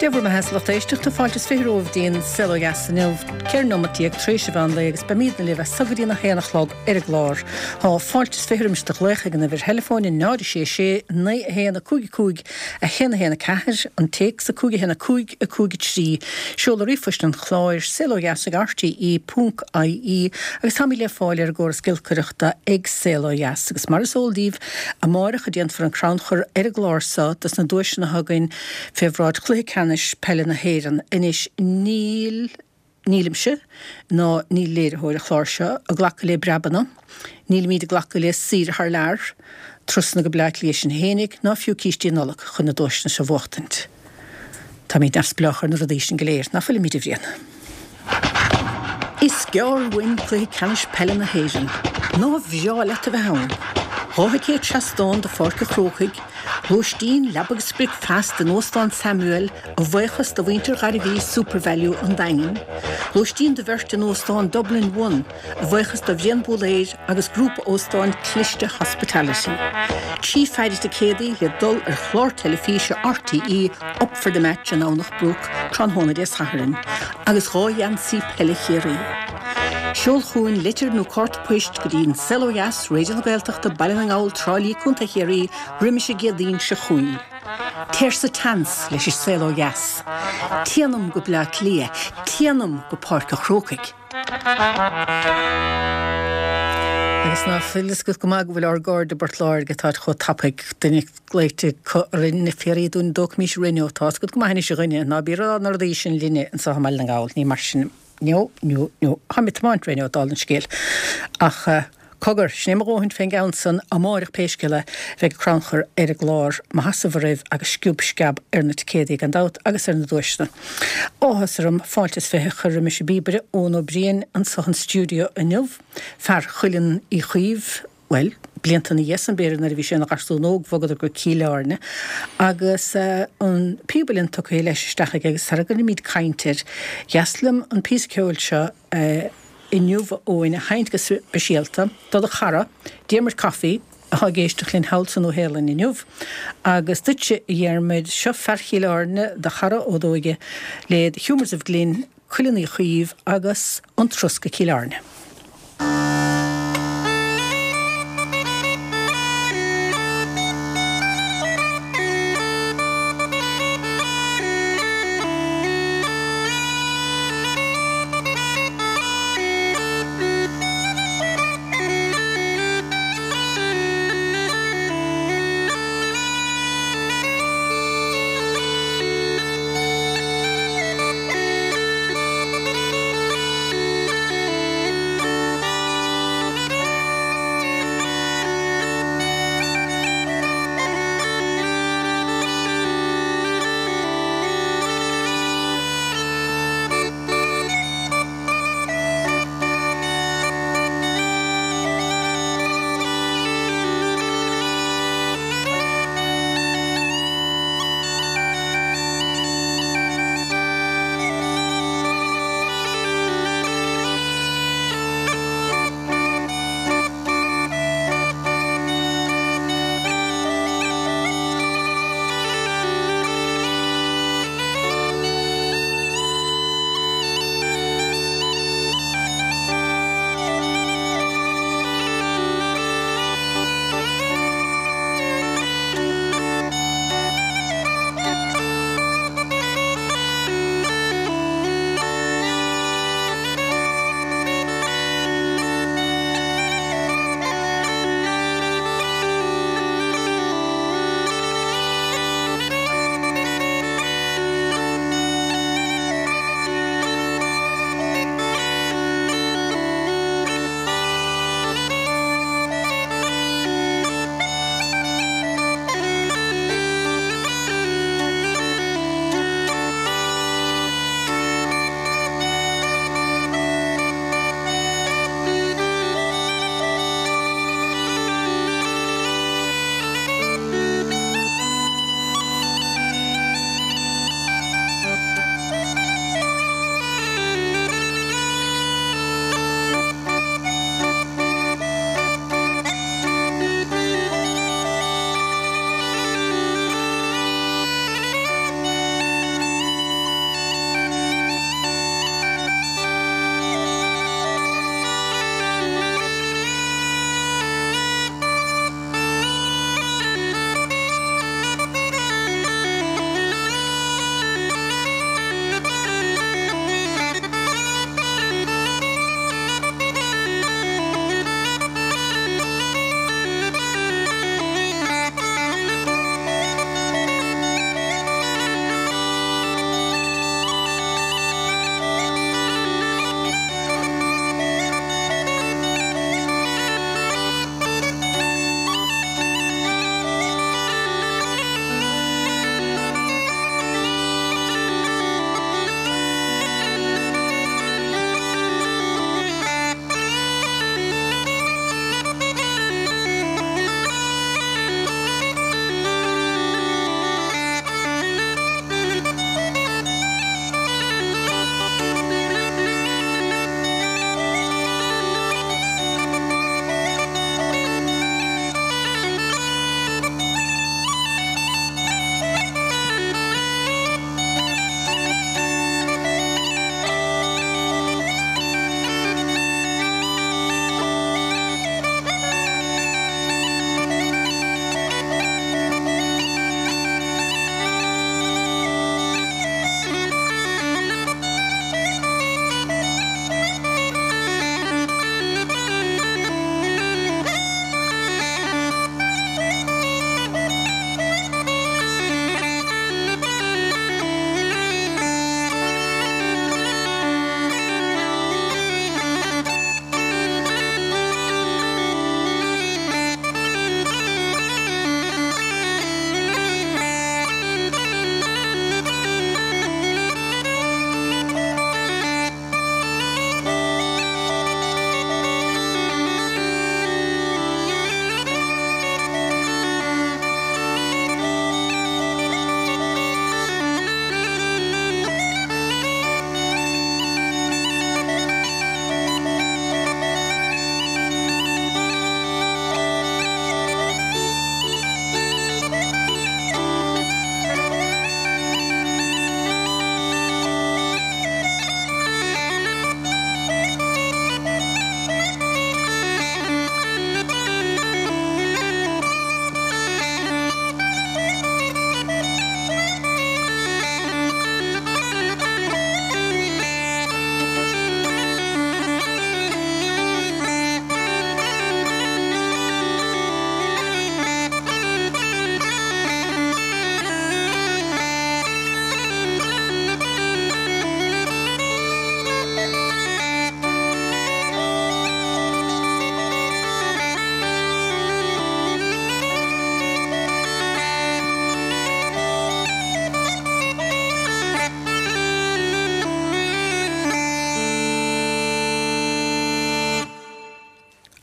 Dia bhur mbeatha a lucht éisteachta, fáilte is 20 romhaibh dtí'n Saol Ó Dheas inniu, 14 nóimeat tar éis an mheán lae agus beimídne libh as so go dtí'n 1 a chlog ar an gclár. Tá fáilte is 20 roimis do ghlaoch ag an uimhir theileafóin 0 6 6 9 1 5 5 1 1 4, an téacs 5 1 5 5 3, seoladh ríomhphoist an chláir, saolodheas ag rte ponc ie agus táimid le fáil ar an gcóras giolcaireachta ag Saol Ó Dheas agus mar is eol daoibh, Amáireach a déanfar an crannchur ar an gclár so dos na duaiseanna atá againn fé bhráid Chluiche Ceannais Peile na hÉireann. Anois níl, nílimse, ná níl léiritheoir an chláir seo, ag glacadh le breabanna, nílimíd ag glacadh le saoire thar lear, turasanna go Bleá Cliath sinn fhéinig, ná fiú cístí Nollag chun na duaiseanna seo bhuachtaint. Táimíd neamhspleách ar na rudaí sin go léir, ná fuilimíd, a Bhriain? Is gearr uainn Cluiche Ceannais Peile na hÉireann. Nár bhreá leat a bheith ann? 2 thicéad seastáin do Pháirc an Chrócaigh, lóistín, leaba agus bricfeasta in Óstán Samuel a bhuíochas do mhuintir Ghairbhí Supervalu an Daingin, lóistín do bheirt in Óstán Dublin One a bhuíochas do Bhrian Búlaeir agus Grúpa Óstáin Cliste Hospitality. 3 pheidhre ticéadaí le dul ar chlár teilifíse RTÉ Up For The Match i nDomhnach Broc tráthnóna Dé Sathairn agus 2 gheansaí peile Chiarraí. Seol chugainn litir nó cárta poist go dtí An Saol Ó Dheas, Raidió na Gaeltachta, Baile na nGall, Trá Lí, Co. Chiarraí roimis an gCéadaoin seo chugainn. Téir sa tseans leis an Saol Ó Dheas. Téanam go Bleá Cliath. Téanam go Páirc an Chrócaigh. Agus ná fuil fhios agat go maith go bhfuil ár gcairde i bPort Láirge atáid chomh tapaidh, duine glaoite acu orainn ag fiafraí dúinn an dtógfaimis Renault. Tá fhios agat go maith anois a dhuine, ná bí ag rá na rudaí sin linne anseo i mBaile na nGall, ní mar sin, no, no, no. Táim ag tiomáint Renault, dála an scéil. Ach. Cogar, sin é mo dhóthain fén gceann san, amáireach pé scéal é, bheidh crannchur ar an gclár, mo sheasamh oraibh agus sciob sceab ar na ticéadaí gan dabht agus ar na duaiseanna. Áthas orm fáilte is 20 a chur roimis an bpíobaire Eoin Ó Briain anso an stiúideo inniu, fear Chuileann Uí Chaoimh, bhuel, blianta ina dhiaidh san b'fhéidir nuair a bhí sé ina gharsún óg bhogadar go Cill Airne agus an píob uilleann tugtha leis isteach aige agus sara gcuirimid caint air, dheas liom an píosa ceoil seo a. inniu a Eoin a sheinnt go speisialta do do chara, Diarmuid Coffey, atá ag éisteacht linn thall sa Nua-Shéalainn inniu. Agus duitse, a Dhiarmuid, seo fear Chill Airne, do chara ó d'óige, le The Humours of Glin, Cuileann Uí Chaoimh agus An Turas go Cill Airne.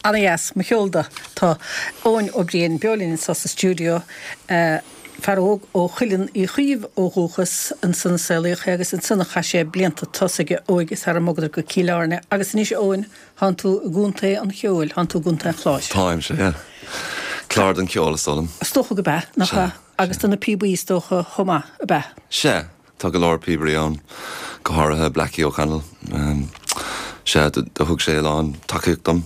Ana-dheas, mo cheol do. Tá Eoin Ó Briain beo linn anseo sa stiúideo, fear óg ó Chuileann Uí Chaoimh ó dhúchas, ansan a saolaíodh é agus ansan a chaith sé blianta tosaigh a óige sara mbogadar go Cill Airne. Agus anois, a Eoin, thánn tú i gContae an Cheoil, thánn tú i gContae an Chláir. Táim, sea. Clár don cheol, is dóigh liom. Is dócha go b'ea, nach ea? Agus do na píobaí, is dócha, chomh maith, ab ea? Sea. Tá go leor píobairí ann, go háirithe Blackie O'Connell. Sea, do thug sé a lán tacaíocht dom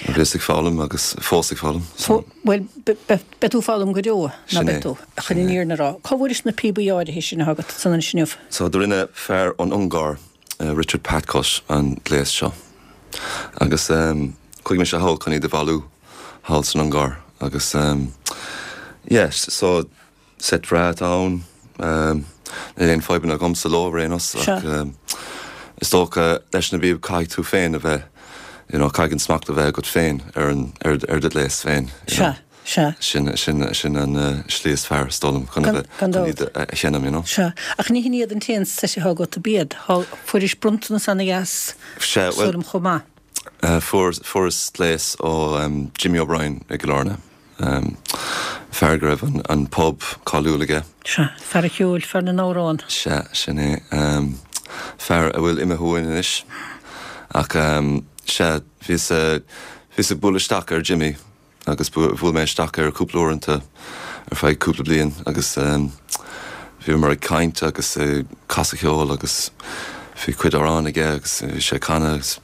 nuair a bhíos ag foghlaim agus fós ag foghlaim. So. Bhuel, beidh tú ag foghlaim go deo, ná beidh tú? Chun an fhírinne a rá. Cá bhfuairis na píobaí áirithe sin atá agat ansan anois inniu? So, do rinne fear ón Ungáir, Richard Patkós, an gléas seo. Agus chuaigh mise thall chun iad a bhailiú thall san Ungáir agus yeah, so, Seit bhreá atá ann. Níl aon fadhbanna agamsa leo ar aon nós ach is dócha leis na bpíob caithfidh tú féin a bheith you know caithfidh an smacht a bheith agat féin ar an ar ar do ghléas féin you know. Sea, sea. Sin sin sin an slí is fearr is dóigh liom chun a bheith Gan chun dabht. iad a sheinm you know. Sea. Ach ní hin iad an t-aon seit atá agat ab iad? Thá fuairis bronntanas ana-dheas Sea, is bhuel dóigh liom chomh maith. fuair fuaireas gléas ó Jimmy O'Brien i gCill Airne. Fear go raibh an pub cáiliúil aige. Sea, fear an cheoil, fear na n-amhrán. Sea, sin é. Fear a bhfuil imithe uainn anois. Ach sea, bhíos, bhíos ag bualadh isteach ar Jimmy agus bhuail mé isteach air cúpla uaireanta ar feadh cúpla bliain agus bhíomar ag caint agus ag casadh ceoil agus bhí cuid amhrán aige agus bhí sé ag canadh agus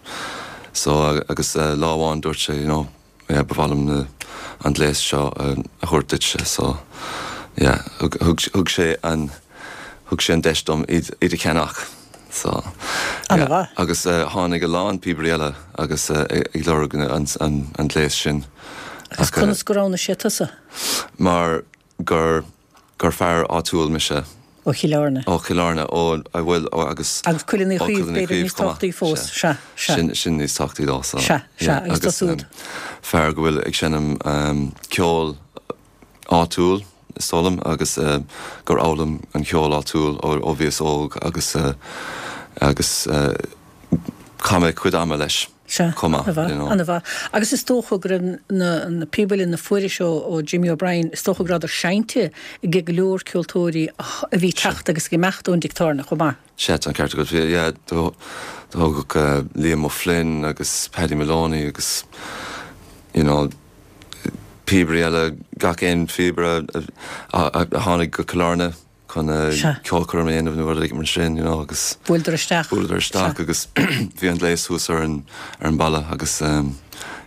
so agus lá amháin dúirt sé you know, yeah ba mhaith liom na an gléas seo a thabhairt duitse so yeah thug thug thug sé an thug sé an deis dom iad iad a cheannach so yeah An-mhaith. agus tháinig a lán píobairí eile agus ag lorg an an an gléas sin Agus conas gur roghnaigh sé tusa? Mar gur gur fear áitiúil mise. Ó Chill Airne. Ó Chill Airne, ó, bhuel, ó agus. Agus Cuileann Uí Chaoimh, b'fhéidir níos tábhachtaí fós, sea, sea. Sin, sin níos tábhachtaí dó, so. Sea, sea, agus tú siúd. Fear go bhfuil ag seinm ceol áitiúil, is dóigh liom, agus gur fhoghlaim an ceol áitiúil ó bhíos óg agus, agus chaith mé cuid ama leis. Sea, chomh maith, an-mhaith, you know. an-mhaith. Agus is dócha go raibh na, na píobaí a fuairis ó, ó Jimmy O'Brien, is dócha go rabhadar seinnte ag go leor ceoltóirí a bhí ag teacht agus ag imeacht ón dtigh tábhairne chomh maith. Sea, tá an ceart agat. Bhí, yeah, do, do thógadh Liam O'Flynn agus Paddy Moloney agus, you know, píobairí eile, gach aon phíobaire a, a, a tháinig go Cill Airne. chun ceolchoirm a dhéanamh nó rud éigin mar sin, you know, agus. Bhuaileadar isteach. Bhuaileadar isteach agus bhí an gléas thuas ar an, ar an bhalla agus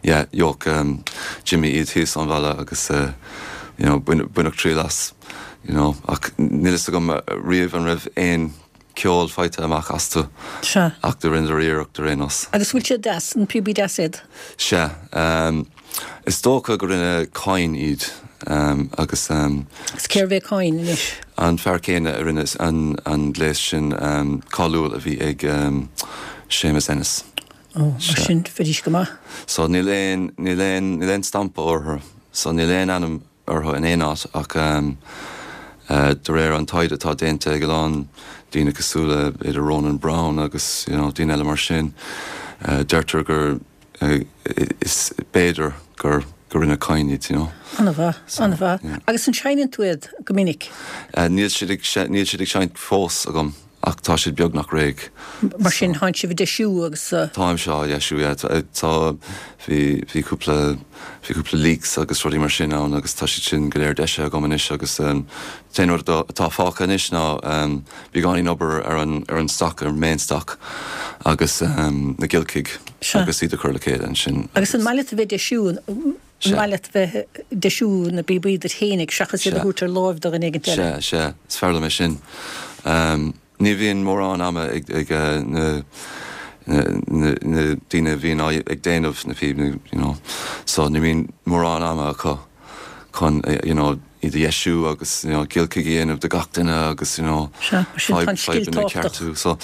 yeah, gheobhadh Jimmy iad thíos ón bhalla agus you know, baineadh triail as, you know, ach níl fhios agam riamh an raibh aon ceol faighte amach astu. Sea. Ach do rinneadar iarracht ar aon nós. Agus bhfuil siad deas, an píobaí deas iad? Sea. Is dócha go rinne Coyne iad agus. Agus cérbh é Coyne anois? An fear céanna a rinne an gléas sin cáiliúil a bhí ag Séamus Ennis. Ó, mar sin, bheidís go maith. So níl aon, níl aon, níl aon stampa orthu. So níl aon ainm orthu in aon áit ach de réir an taighde atá déanta ag a lán daoine cosúil le b'fhéidir Ronan Browne agus you know daoine eile mar sin, deirtear gur is b'fhéidir gur gur rinne Coyne iad you know. An-mhaith, an-mhaith. Agus an seinneann tú iad go minic? Níl siad ag níl siad ag seinnt fós agam. Ach tá siad beagnach réidh. Mar sin, tánn sibh ag deisiú agus. Táimse á dheisiú, yeah. Tá, bhí, bhí cúpla, bhí cúpla leaks agus rudaí mar sin ann agus tá siad sin go léir deisithe agam anois agus an t-aon rud atá fágtha anois ná beagáinín obair ar an, ar an stoc, ar an main stock agus na giolcaigh agus iad a chur le chéile ansin. Agus an maith leat a bheith ag deisiú, an maith leat bheith ag deisiú na bpíobaí duit fhéinig seachas iad a thabhairt ar láimh do dhuine éigint eile? Sea, sea, is fearr liom é sin. Ní bhíonn mórán ama ag na daoine a bhíonn ag déanamh na píob, you know, so ní bhíonn mórán ama acu chun, you know, iad a dheisiú agus, you know, giolcaigh a dhéanamh do gach duine agus, you know, Sea, mar sin tá an scil fadhbanna a tábhachtach. cheartú. So,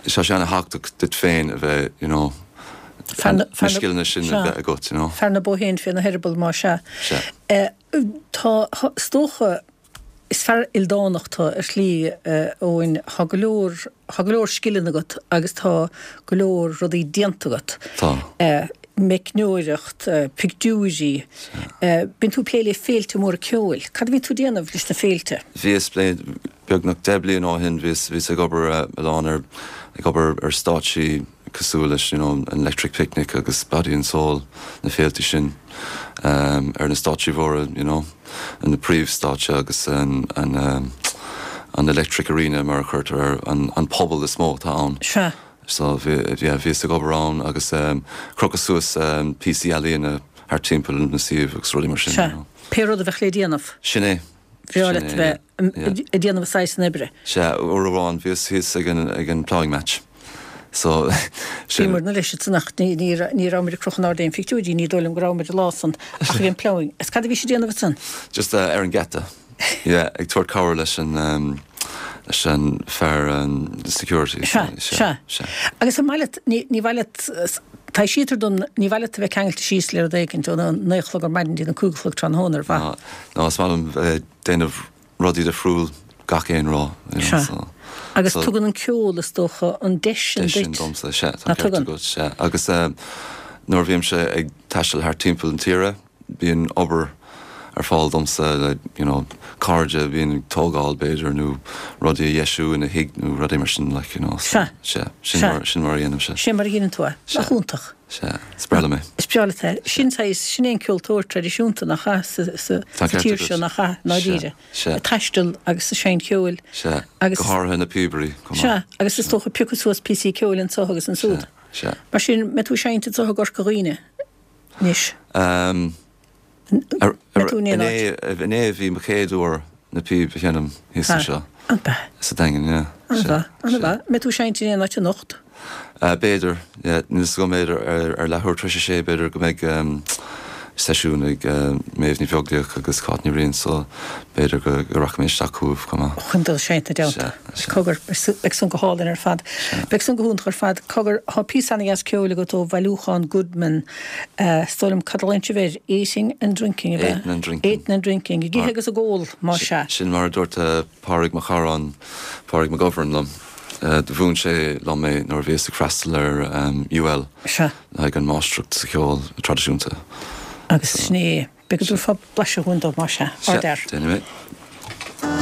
tá sé ana-thábhachtach duit féin a bheith, you know, Fear na, na fear na, scileanna sin a sea, bheith agat, you know. fear na bó féin féna heireaball, más ea. Sea. Tá, is dócha. Is fear ildánach tú ar shlí, a Eoin. Tá go leor, tá go leor scileanna agat agus tá go leor rudaí déanta agat. Tá. Meicneoireacht, pictiúirí. Bíonn tú ag plé le féilte móra ceoil. Cad a bhíonn tú ag déanamh leis na féilte? Bhíos beagnach 10 bliain ó shin, bhíos, bhíos ag obair a lán ar, ag obair ar stáitsí cosúil leis, you know, an Electric Picnic agus Body and Soul, na féilte sin, ar na stáitsí mhóra, you know. na príomhstáitse agus an an Electric Arena mar a chuirtear air, an puball is mó atá ann. Sea. So bhí, yeah, bhíos ag obair ann agus crochadh suas píosaí ealaíona thart timpeall na suíomh agus rudaí mar sin, you know. Sea. Pé rud a bheadh le déanamh. Sin é. Bhreá leat a bheith ag déanamh an saghas san oibre. Sea, uair amháin bhíos thíos ag an ag an ploughing match. So, sin. Bhíomar leis ansan ach ní ní ní rabhamar ag crochadh in airde aon phictiúirí, ní dóigh liom go rabhamar an lá san ach ag an ploughing. Is cad a bhís ag déanamh ansan? Just ar an geata. Yeah, ag tabhairt cabhair leis an leis an fear security. Sea, sea. Sea. Agus an maith leat, ní ní mhaith leat, taibhsítear dom, ní mhaith leat a bheith ceangailte síos le rud éigint óna naoi a chlog ar maidin dtí na cúig a chlog tráthnóna, ar mhaith? Ná, ná, is maith liom bheith déanamh rudaí difriúil gach aon rá, you know, Sea. so. Agus so. Tugann an ceol, is dócha, an deis sin duit. Deis sin domsa, sea, tá an ceart agat, sea. Agus nuair a bhímse ag taisteal thart timpeall na tíre, bíonn obair ar fáil domsa le, you know, cairde a bhíonn ag tógáil, b'fhéidir, nó rudaí a dheisiú ina thigh nó rudaí mar sin, like, you know, so, Sea. sea, sin Sea. mar, sin mar a dhéanaimse. Sin mar a dhéanann tú é. Sea. Nach iontach. Sea, is breá liom é. Is breá leat é. Sin saghas, sin é an ceoltóir traidisiúnta, nach ea, sa, sa, Tá sa ceart tír agat. seo, nach ea, i ndáiríre. Sea. Ag taisteal agus ag seinnt ceoil. Sea, Agus. go háirithe na píobairí, chomh maith. Sea, agus is dócha piocadh suas píosaí ceoil anso agus ansúd. Sea, sea. Mar sin, mbeidh tú ag seinnt anso i gCorca Dhuibhne anois? Ehm, Ar, mbeidh tú in aon áit? Inné, inné a bhí mo chéad uair na píob a sheinm thíos anseo. An b'ea? Sa Daingean, yeah. An-mhaith, an-mhaith. Mbeidh tú ag seinnt in aon áit anocht? B'fhéidir, yeah. Níl 'fhios agam, b'fhéidir ar leathuair tar éis a sé, b'fhéidir go mbeidh seisiún ag Méabh Ní Bheaglaoich agus Cáit Ní Riain so b'fhéidir go rachaidh mé isteach chugaibh chomh maith. Chun dul ag seinnt ina dteannta. Sea, sea. Cogar, beidh san go hálainn ar fad. Beidh san go hiontach ar fad. Cogar, tá píosa ana-dheas ceoil agat ó bhailiúchán Goodman. Is dóigh liom, cad a ghlaonn sibh air? Eating and drinking, ab ea? Eating and drinking. Eating and drinking. Ag ithe agus ag ól, más ea. Sin mar a dúirt Pádraig mo chara, Pádraig McGovern liom. Do mhúin sé liom é nuair a bhíos ag freastal ar UL Sea. le haghaidh an máistreacht sa cheol traidisiúnta. Agus sin é. B'fhéidir go dtabharfá blaiseadh dhúinn dó, más ea. Sea, Ardfhear. déanfaidh mé.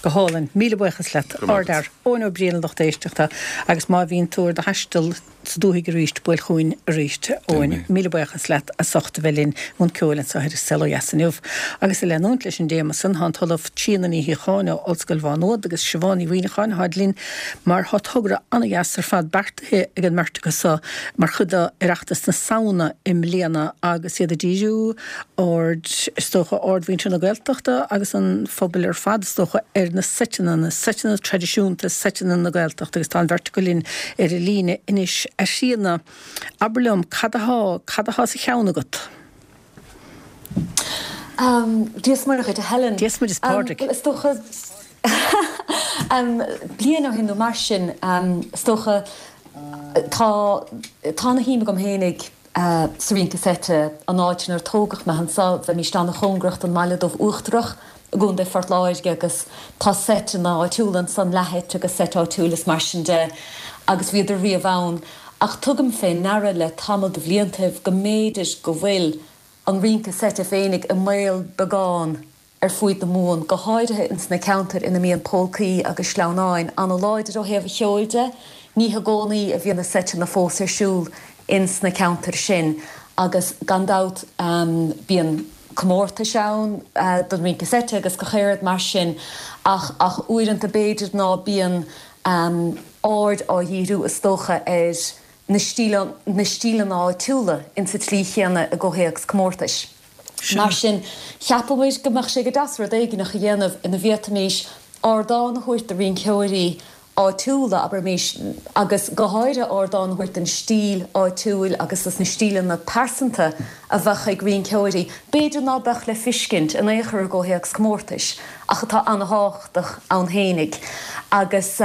Go hálainn. Míle buíochas leat. Go raibh maith agat. Ardfhear. Eoin Ó Briain a lucht éisteachta agus má bhíonn tú ar do thaisteal sa dúthaigh arís, buail chugainn arís, Eoin. Míle buíochas leat as ucht a bheith linn i mbun ceoil anseo ar An Saol Ó Dheas inniu. Agus ag leanúint leis an dtéama san, tá an tOllamh Tríona Ní Shíocháin ó Ollscoil Mhá Nuad agus Siobhán Ní Mhuimhneacháin atáid linn mar tá togra an-dheas ar fad beartaithe ag an mbeirt acu so mar chuid d'Oireachtas na Samhna i mbliana agus iad ag díriú aird, is dócha, aird mhuintir na Gaeltachta agus an phobail ar fad, is dócha, ar na seiteanna, na seiteanna traidisiúnta, seiteanna na Gaeltachta agus tá an bheirt acu linn ar an líne anois. A Thríona, abair liom, cad athá, cad athá sa cheann agat? Dia is Muire dhuit, a Helen. Dia is Muire is Pádraig. Bhuel, is dócha, bliain ó shin nó mar sin, is dócha, tá, tá ana-shuim agam fhéinig, sa rince seite, an áit inar tógadh mé anseo, bheimíst an-chóngarach don mBaile Dubh Uachtarach i gContae Phort Láirge agus tá seiteanna áitiúla ansan, leathsheit agus seit áitiúil is mar sin de agus bhíodar riamh ann. Ach tugaim fé ndeara le tamall de bhliantaibh go mb'fhéidir go bhfuil an rince seite féinig i mbaol beagán ar fuaid na Mumhan, go háirithe ins na ceantair ina mbíonn pólcaí agus sleamhnáin ana-láidir ó thaobh an cheoil de. Ní hi gcónaí a bhíonn na seiteanna fós ar siúl ins na ceantair sin agus gan dabht bíonn comórtais ann don rince seite agus gach aon rud mar sin ach ach uaireanta b'fhéidir ná bíonn aird á dhíriú is dócha ar na na stíleanna áitiúla ins an tslí chéanna i gcomhthéacs comórtais. Mar sin, cheapamair go mbeadh sé go deas rud éigineach a dhéanamh ina bhféadfaimís ardán a thabhairt do rinceoirí áitiúla, abraimís, agus go háirithe ardán a thabhairt don stíl áitiúil agus dos na stíleanna pearsanta a bheadh ag rinceoirí, b'fhéidir ná beadh le fiscint in aon chor i gcomhthéacs comórtais, ach atá ana-thábhachtach ann fhéinig. Agus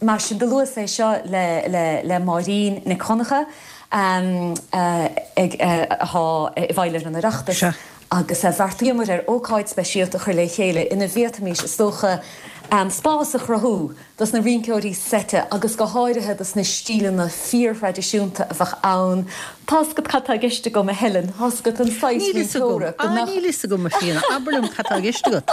mar sin, do luas é seo le le Máirín Nic Dhonncha. ag atá i bhfeighil ar an Oireachtas agus bheartaíomar ar ócáid speisialta a chur le chéile ina bhféadfaimis, is dócha, spás a chruthú dos na rinceoirí seite agus go háirithe dos na stíleanna fíorthraidisiúnta a bheadh ann. Tá's agat cad tá i gceist agam, a Helen, tá's agat an saghas Níl fhios agam. rinceora go Ah, mbeadh. níl fhios agam, a Thríona. Abair liom cad tá i gceist agat.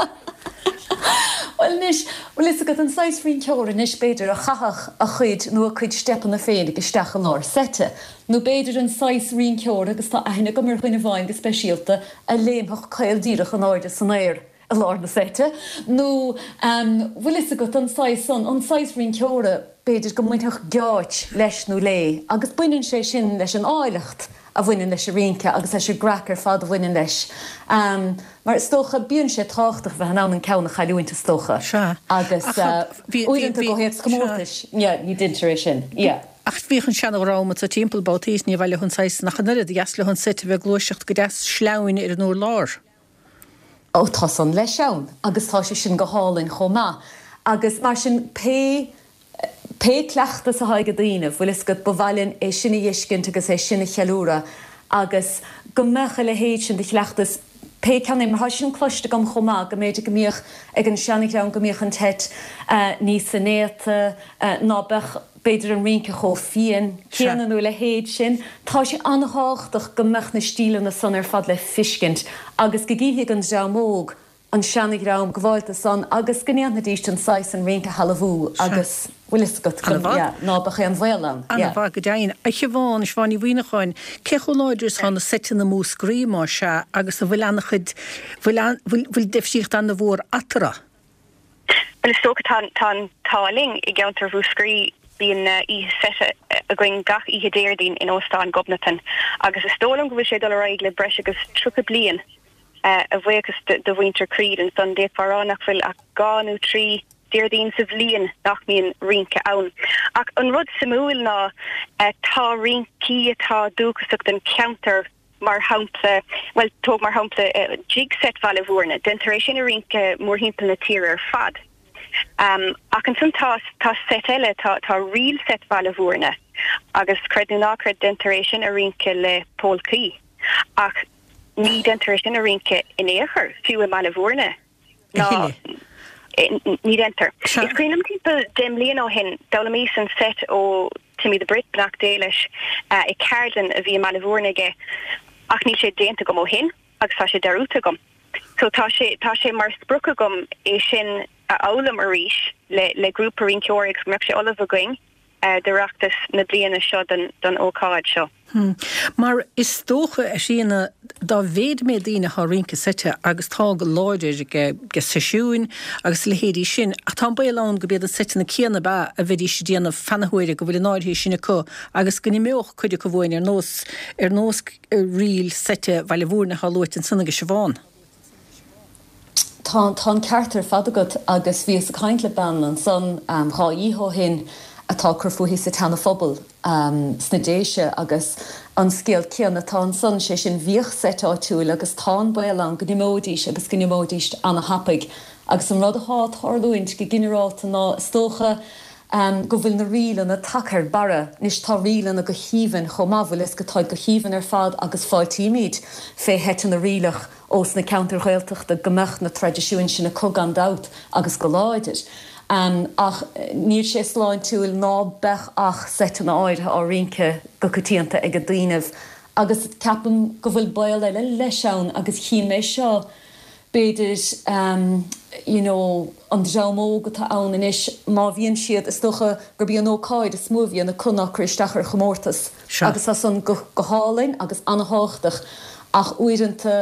Bhuel anois, bhfuil fhios agat, an saghas rinceora anois, b'fhéidir, a chaithfeadh a chuid nó a cuid steipeanna féinig isteach i lár seite. Nó b'fhéidir an saghas rinceora, agus tá aithne agam ar dhuine amháin go speisialta, a léimfeadh caol díreach in airde san aer i lár na seite. Nó, bhfuil fhios agat, an saghas san, an saghas rinceora, b'fhéidir, go mbainfeadh geáits leis nó léi, agus baineann sé sin leis an áilleacht a bhaineann leis an rince agus leis an gcraic ar fad a bhaineann leis. Mar is dócha, bíonn sé tábhachtach bheith in ann an ceann a chailliúint, is dócha. Sea. Agus Ach bhí, bhí, uaireanta i bhí, gcomhthéacs sea. comórtais, yeah, ní deintear é sin, yeah. Ach bhíodh an seana-dhream anso timpeall babhtaí is ní mhaith leo an saghas san ach an oiread, ba dheas leo an seit a bheith ag gluaiseacht go deas sleamhain ar an urlár. Ó, tá san leis ann agus tá sé sin go hálainn chomh maith. Agus mar sin, pé Pé cleachtas atá ag daoine, bhfuil fhios agat, ba mhaith linn é sin a fheiscint agus é sin a cheiliúradh agus go mbeadh a leithéid sin de chleachtas, pé ceann é, mar tá sin cloiste agam chomh maith, go mb'fhéidir go mbíodh ag an seanadhream go mbíodh an tseit níos soinéata, ná beadh b'fhéidir an rince chomh fiáin céanna nó a leithéid sin. Tá sé an-thábhachtach go mbeadh na stíleanna san ar fad le fiscint agus go gcífidh an dream óg an seanadhream gabhálta san agus go ndéanfaidíst an saghas san rince a shealbhú agus bhfuil fhios agat go, yeah, ná beadh aon bhaol ann, yeah. Ana-mhaith, go deimhin. A Shiobhán, Siobhán Ní Mhuimhneacháin, cé chomh láidir is atá na seiteanna i Múscraí, más ea, agus an bhfuil ana-chuid, bhfuil, bhfuil, bhfuil difríocht ana-mhór eatarthu? Bhuel, is dócha, tá, tá an t-ádh linn i gceantar Mhúscraí, bíonn oíche seite againn gach oíche Déardaoin in Óstán Ghobnatan agus is dóigh liom go bhfuil sé ag dul ar aghaidh le breis agus 30 bliain. A bhuíochas do mhuintir Creed ansan, d'fhéadfá a rá nach bhfuil ach dhá nó trí Déardaoin sa bhliain nach mbíonn rince ann. Ach an rud suimiúil ná tá rincí atá dúchasach don cheantar, mar shampla, bhuel, tóg mar shampla Jig Set Bhaile Bhúirne, déantar é sin a rince mórthimpeall na tíre ar fad. Ach ansan tá tá seit eile, tá tá Ríl Set Bhaile Bhúirne agus creid nó ná creid déantar é sin a rince le pólcaí. Ach Ní deintear é sin a rince in aon chor, fiú i mBaile Bhúirne. Ná ní deintear. Is cuimhin liom timpeall 10 mbliana ó shin, d'fhoghlaimíos an seit ó Timmy the Brit, beannacht Dé leis, i ceardlann a bhí i mBaile Bhúirne aige, ach níl sé déanta agam ó shin agus tá sé dearúdta agam. So tá sé, tá sé mar sprioc agam é sin a fhoghlaim arís le, le grúpa rinceoirí agus go mbeadh sé ullamh againn d'Oireachtas na bliana seo don, don ócáid seo. Mar is dócha, a Thríona, dá mhéid méid daoine atá ag rince seite, agus tá go láidir ag seisiúin agus a leithéidí sin, ach tá an baol ann gurb iad na seiteanna céanna ab ea a bheidís ag déanamh feadh na huaire, go bhfuil an áirithe sin acu agus go n-imeodh cuid acu uainn ar nós ar nós ríl seite Bhaile Mhúirne atá luaite ansan ag Siobhán. Tá, tá an ceart ar fad agat agus bhíos ag caint le bean ansan 2 oíche ó shin atá ag cur fúithi sa tSeana Phobal sna Déise agus an scéal céanna atá ansan, sé sin bhíodh seit áitiúil agus tá an baol ann go n-imeoidís agus go n-imeoidís ana-thapaidh agus an rud athá ag tarlúint go ginearálta ná is dócha go bhfuil na ríleanna tagtha ar barra. Anois tá ríleanna go haoibhinn chomh maith, bhfuil fhios agat, táid go haoibhinn ar fad agus fáiltímid fé sheiteanna ríleach ós na ceantair Ghaeltachta go mbeadh na traidisiúin sin acu gan dabht agus go láidir. Ach níl sé sláintiúil ná beadh ach seiteanna áirithe á rince go coitianta ag daoinibh agus ceapaim go bhfuil baol eile leis ann agus chím é seo b'fhéidir you know an dream óg atá ann anois má bhíonn siad, is dócha gurb í an ócáid is mó a bhíonn acu ná cur isteach ar chomórtas agus tá san go hálainn agus ana-thábhachtach ach uaireanta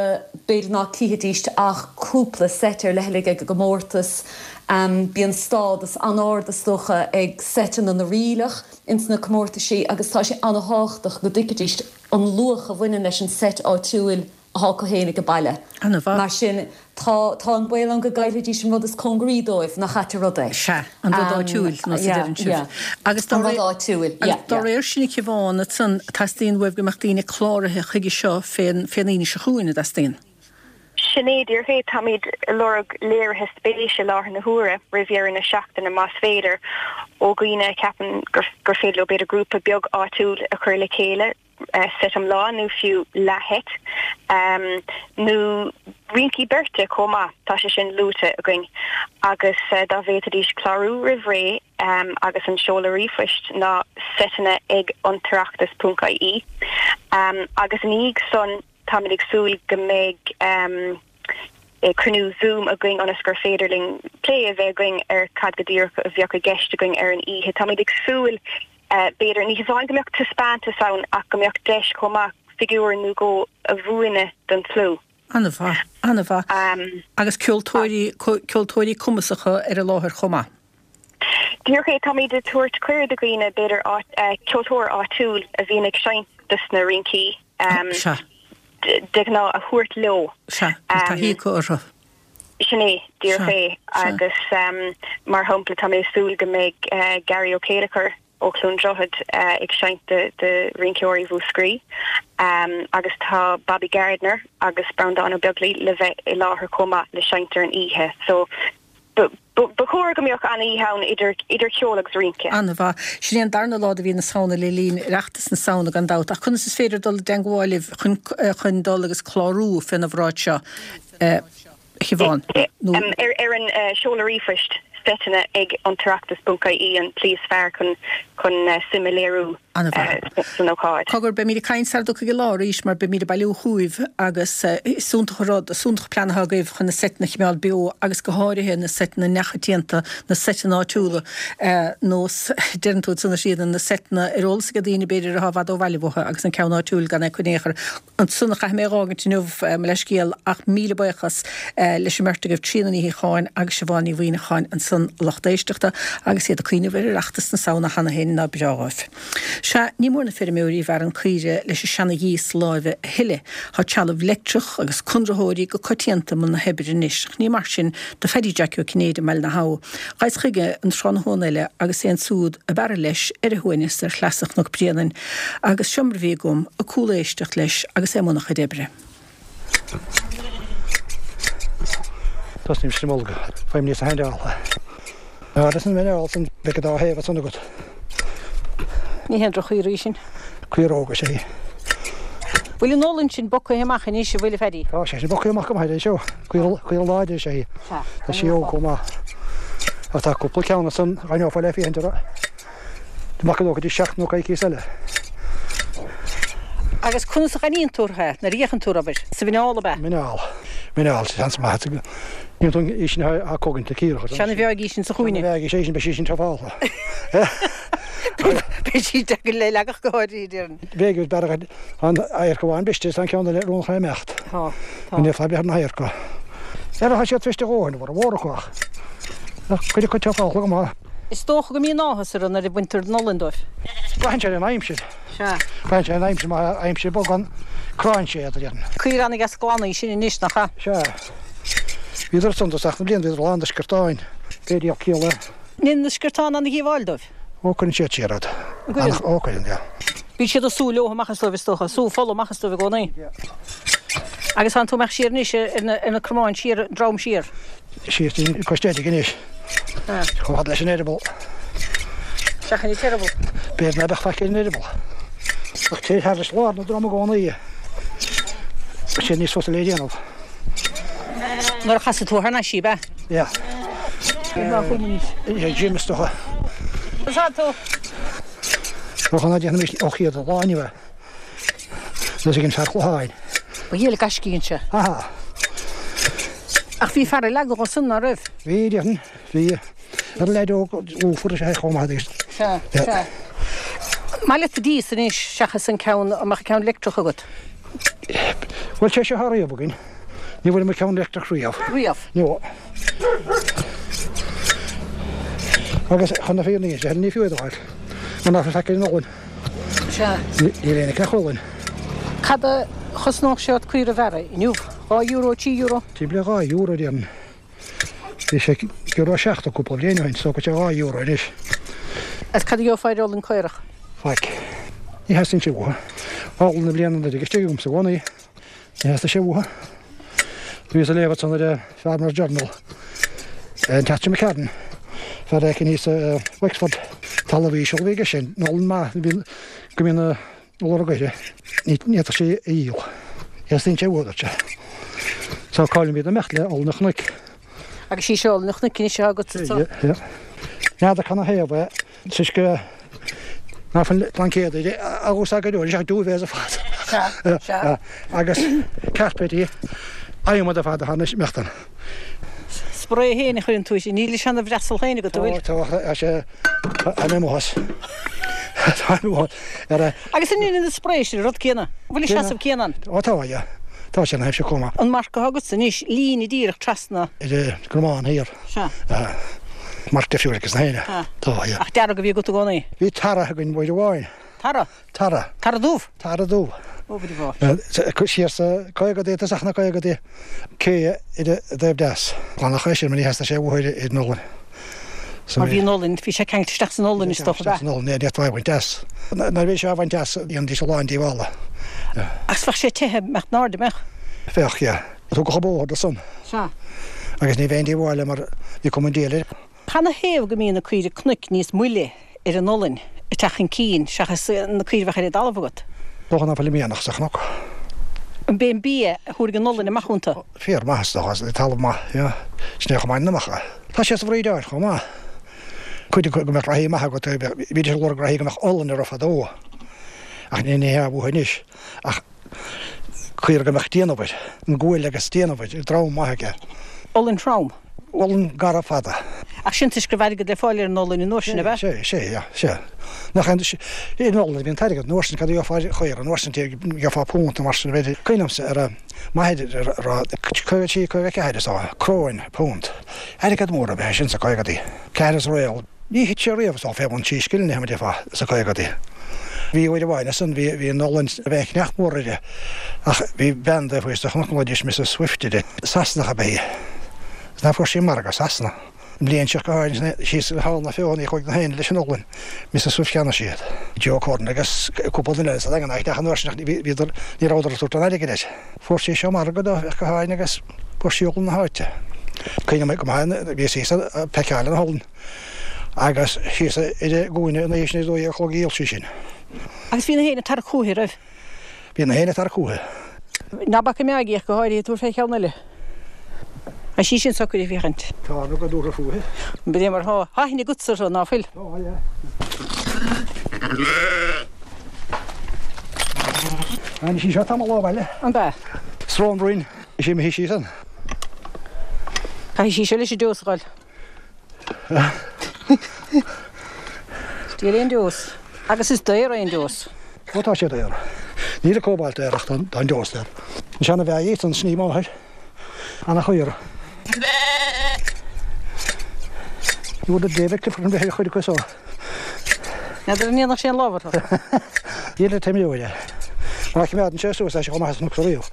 b'fhéidir ná cífidíst ach cúpla seit ar leithligh ag an gcomórtas. Bíonn stádas an-ard is dócha ag seiteanna na ríleach ins na comórtaisí agus tá sé ana-thábhachtach go dtuigfidíst an luach a bhaineann leis an seit áitiúil atá acu féin ag baile. Ana-mhaith. Mar sin, tá, tá an baol ann go gcaillfidís an rud is cóngaraí dóibh, nach ait an rud é. Sea, an rud áitiúil, nós a deireann sibh. Yeah, yeah. Agus dá An rud réir, áitiúil, yeah, agus dá yeah. réir sin, a Shiobhán, ansan, teastaíonn uaibh go mbeadh daoine cláraithe chuige seo fén, fén Aoine seo chugainn, an dteastaíonn? Sin é díreach é. Táimid ag lorg léirithe spéise i láthair na huaire, roimh dheireadh na seachtaine más féidir, ó dhaoine a cheapann gur, gur féidir leo b'fhéidir grúpa beag áitiúil a chur le chéile, seit iomlán nó fiú leathsheit, nó rincí beirte chomh maith, tá sé sin luaite againn, agus dá bhféadfaidís clárú roimh ré agus an seoladh ríomhphoist ná seiteanna ag antoireachtas ponc ie agus ina dhiaidh san táimid ag súil go mbeidh cruinniú Zoom againn ionas gur féidir linn plé a bheith againn ar cad go díreach a bheadh i gceist againn ar an oíche. Táimid ag súil B'fhéidir, ní hamháin go mbeadh taispeántas ann ach go mbeadh deis chomh maith figiúr nó dhó a mhúineadh don tslua. An-mhaith, an-mhaith. Agus ceoltóirí, ceoltóirí cumasacha ar an láthair chomh maith. Díreach é, táimid ag tabhairt cuireadh do dhaoine, b'fhéidir ceoltóir áitiúil a bhíonn ag seinnt dos na rincí de ghnáth a thabhairt leo. Sea, tá taithí acu orthu. Sin é, díreach é. Agus mar shampla, tá mé ag súil go mbeidh Gary Ó Céileachair ó Chluain Droichead ag seinnt do rinceoirí Mhúscraí agus tá Bobby Gardiner agus Breandán Ó Beaglaoi le bheith i láthair chomh maith le seinnt ar an oíche. So ba chóir go mbeadh an-oíche ann idir idir cheol agus rince. An-mhaith. Sin é an darna lá de mhí na Samhna le linn Oireachtas na Samhna gan dabht. Ach conas is féidir dul i dteangmháil libh chun chun dul agus clárú fén obráid seo? a Shiobhán, nó. Ar an seoladh ríomhphoist seiteanna ag antoireachtas ponc ie an tslí is fearr chun chun suim a léiriú san ócáid. Cogar, beimid ag caint sara dtiocfaidh an lá arís mar beimid ag bailiú chugaibh agus is iontach an rud, is iontach an plean atá agaibh chun na seiteanna a choimeáil beo agus go háirithe na seiteanna neamhchoitianta, na seiteanna áitiúla, nós, deireann tú ansan a Thríona, na seiteanna ar eolas ag daoine b'fhéidir atá i bhfad ó bhaile uathu agus an ceann áitiúil gan é acu in aon chor. Ansan a chaithfidh mé a dh'fhágaint inniu, mo leithscéal, ach míle buíochas leis an mbeirt agaibh, Tríona Ní Shíocháin agus Siobhán Ní Mhuimhneacháin ansan, a lucht éisteachta, agus iad ag cuimhneamh ar Oireachtas na Samhna cheana féin, ná breá dhóibh. Sea, ní mór na feirmeoirí a bhearrann caoire leis an seana-ghíos láimhe a thuilleadh. Tá trealamh leictreach agus conraitheoirí go coitianta i mbun na hoibre anois, ach ní mar sin do Phaddy Jackie Ó Cinnéide i mBaile na hAbha. Ghabhas chuige an tráthnóna eile agus é ansúd ab fhearra leis ar a shuaimhneas ar shleasa Chnoc Bréanainn agus seo mar a bhí agam ag cúléisteacht leis agus é i mbun a chuid oibre. Tosnaím leis an mbolg. Faighim níos handála. Agus an mhineál san bheidh an dá thaobh ansan agat. Ní haon droch-chaora í sin. Caoróg is ea í. Bhfuil an olann sin bogtha amach anois, a bhfuil, a Phaddy? Tá sé sin bogtha amach go maith é seo. Caora láidir is ea í. Tá sí óg chomh maith. Ach tá cúpla ceann ansan a choinneofá le féachaint orthu. Amach go dtí seachtain nó coicíos eile. Agus conas a ghaibhníonn tú orthu é, nuair a fhéachann tú orthu, abair? Sa mhuineál, ab ea? Muineál. Mineál, seans maith. Níl tú í sin á cogaint le cíorach. Seana bheag í sin sa chúinne. Seana bheag í sin, beidh sí sin topálta. Beidh sí deacair le leagadh go háirithe, déarfainn. Bheadh is bearradh an adharc amháin briste is an ceann eile rún chun imeacht. Tá, tá. Ní fadhb ar na hadharca. Ar tá siad briste a dhóthain, mura mhór acu ach. Ach cuid acu topálta go maith. Is dócha go mbíonn áthas orthu nuair a bhaintear an olann dóibh. Braitheann sé ar an aimsir. Sea. Braitheann sé ar an aimsir, má tá aimsir bog ann, cránn sé iad, a déarfainn. Caora an-dheas glan í sin anois, nach ea? Sea. Bhíodar ansan i dtosach na bliana, bhíodar lán de sciortáin. B'fhéidir iad ciall é. Ndéanann na sciortáin an-dhíobháil dóibh? Ó, cuireann siad siar iad. An gcuireann? Ó, cuireann, yeah. Bíonn siad ag sú leo amach as dóibh, is dócha. Sú fola amach as dóibh i gcónaí. Agus tánn tú amach siar anois ar na cromáin siar, an drom siar. Síos dtí cois Deirg anois. Chomh fada leis an eireaball. Seachain an t-eireaball. B'fhéidir ná beadh faic ar an eireaball. Ach téir thairis lár na droma i gcónaí. Tá sé níos fusa le déanamh. Nuair a chasfaidh tú thar n-ais í, ab ea? Yeah. Jim is dócha. Is tú. Dócha ná déanfaimis ó chéad lá inniu é. Nós ag an fear Chlocháin. Ba dhiail gaiscígh anseo. Aha. Ach bhí fear ag leagadh ansan, ná raibh? Bhí, déarfainn. Bhí. Ar leaid óg lúfar is ea é chomh maith agus. Sea, sea. Maith leat dias anois seachas an ceann, an mbeadh ceann leictreach agat? Bhuel, sé seo atá riamh againn. Ní bhfuair muid ceann leictreach riamh. Riamh? No. Agus chun na fírinne a inse, ní fiú é do fháil. Mar ná fuil faic ar an olann. Sea. Níl aon fhaic ach olann. Cad a chosnódh sé ort caora a bhearradh inniu? €2, €3? Timpeall ar €2 déarfainn. Bhí sé euro 70 cúpla bliain ó shin, so go sé €2 anois. Agus cad a gheofá ar olann caorach? Faic. Ní theastaíonn sé uathu. Olann na bliana anuraidh istigh agamsa i gcónaí. Ní theastaigh sé uathu. Bhíos ag léamh ansan ar an Farmers Journal, an tseachtain seo imigh tharainn, fear éicint thíos i Wexford, talamh íseal a bhí aige sin, an olann maith go mbíonn na lorg uirthi, ní fhéadfadh sé a dhíol. Theastaíonn sé uathu, a dúirt sé. So cá'il muid ag imeacht le olann an chnoic. Agus í seo olann an chnoic anois atá agatsa anso. N'fheadar canathaobh é. Toisc ná fuil blaincéad á úsáid go leor, is ea duvets ar fad. Sea, sea. Agus cairpéidí adhmaid ar fad atá anois imeacht ann. Spray féin a chuireann tú isteach, níl a seana-bhreasal féin agat, an bhfuil? Tá, tá, sé, tá mé amuigh as. Tá mé amuigh ar a. Agus an ndéanann an spray sin an rud céanna? An bhfuil an seasamh céanna ann? Ó tá, yeah. Tá sé ina thaobh seo chomh maith. An marc atá agatsa anois, líne díreach trasna. Ar an gcromán thiar. Sea. Marc difriúil aige sna héinne. Tá, yeah. Ach dearg a bhí agat i gcónaí? Bhí tara againn uair amháin. Tara? Tara. Tara dubh? Tara dubh. Ó, bhí bhá. Siar sa caogadaí, tosach na caogadaí, cé ar an dtaobh deas. Glanadh é sin mar ní theastaigh sé uathu ar an olann. Mar bhí an olann, bhí sé ceangailte isteach san olann is dócha, ab ea? San olann, yeah, ní fhéadfá é a bhaint as. Nuair a bhí sé á bhaint as, dhéanaidís a lán díobhála. Ach bheadh sé te, mbeadh in airde, mbeadh? Bheadh, yeah. Tugadh an bóthar dó san. Sea. Agus ní bheinn díobháil mar bhí cuma an diabhail air. Canathaobh go mbíonn na caoirigh cnoic níos moille ar an olainn ag teacht chun cinn seachas na caoirigh a bheadh ar an dtalamh agat? Dócha ná fuil an mianach sa chnoc. An b'é an bia a thabharfaidh an olainn amach iontu? Féar maith is dócha, talamh maith, yeah. Sin é chomh maith na mbeadh. Tá sé sa bhrídeáil chomh maith. Cuid acu go mbeadh reathaí maith agat, bhídís ag lorg reathaí go mbeadh olainn orthu fadó. Ach ní hea uathu anois. Ach. Caora go mbeadh déanamh air, an guail agus déanamh air, drom maith aige. Olainn throm. Olainn garbh fada. Ach sin toisc go raibh airgead le fáil ar an olainn an uair sin, ab ea? Sea, sea, sea, sea. Nach aon, ar an olainn a bhí an t-airgead an uair sin, cad a gheofá ar chaora an uair sin, gheofá punt nó mar sin, b'fhéidir. Cuimhin liomsa ar m'athair a rá, 53, 54 is dócha, cróin, punt. Airgead mór ab ea é sin sa caogadaí. Ceathair is réal. Ní thit sé riamh is dócha fé bhun trí scilling, mar a déarfá, sa caogadaí. Bhí uair amháin ansan, bhí, bhí an olainn, bhí an cneach mór uirthi ach bhí bean daofa sa chnoc a nglaoidís Mrs Swift uirthi. Sasanach ab ea í. Is ná fuair sí margadh i Sasana. An bhliain seo go háirithe síos thall na Feothanaí chuaigh na héinne leis an olainn. Mrs Swift cheannaigh sí iad. Joe Curran agus cúpla duine eile sa Daingean ach an uair sin ach ní, bhíodar, ní rabhadar ag tabhairt an airgid air. Fuair sí seo margadh dó ach go háirithe agus fuair sí olann na háite. Cuimhním go maith, bhíos thíos ag peiceáil an olann. Agus síos ar an gcúinne ina dhiaidh sin ar 12 a chlog a dhíol sí sin. Agus bhí na héinne ag tarrac chúithi, raibh? Bhí na héinne ag tarrac chúithi. Ná bac an meáigh ach go háirithe, tabhair fé cheann eile. Tá sí sin socair ag féachaint. Tá an rud dúthra fúithi. B'é mar thá. Tá aithne agatsa orthu, ná fuil? Tá, yeah. Tháinig sí seo tamall ó bhaile. An ea? Srón Bhroin. Is imithe sí san. Caithfidh sí seo leis an deos a dhul. Diabhal é an deos. Agus is daor é an deos. Ó tá sé daor. Níl an cóbalt daor ach tá an deos daor. An seana-bhea í san sin í máthair. Ana chaora. Ní bhfuair David Clifford an bhreith ar chuid acu so. N'fheadar an ndéanfadh sé an lámh orthu. Níl an t-imreoir é. Má choimeádann sé suas tá sé chomh maith is an riamh.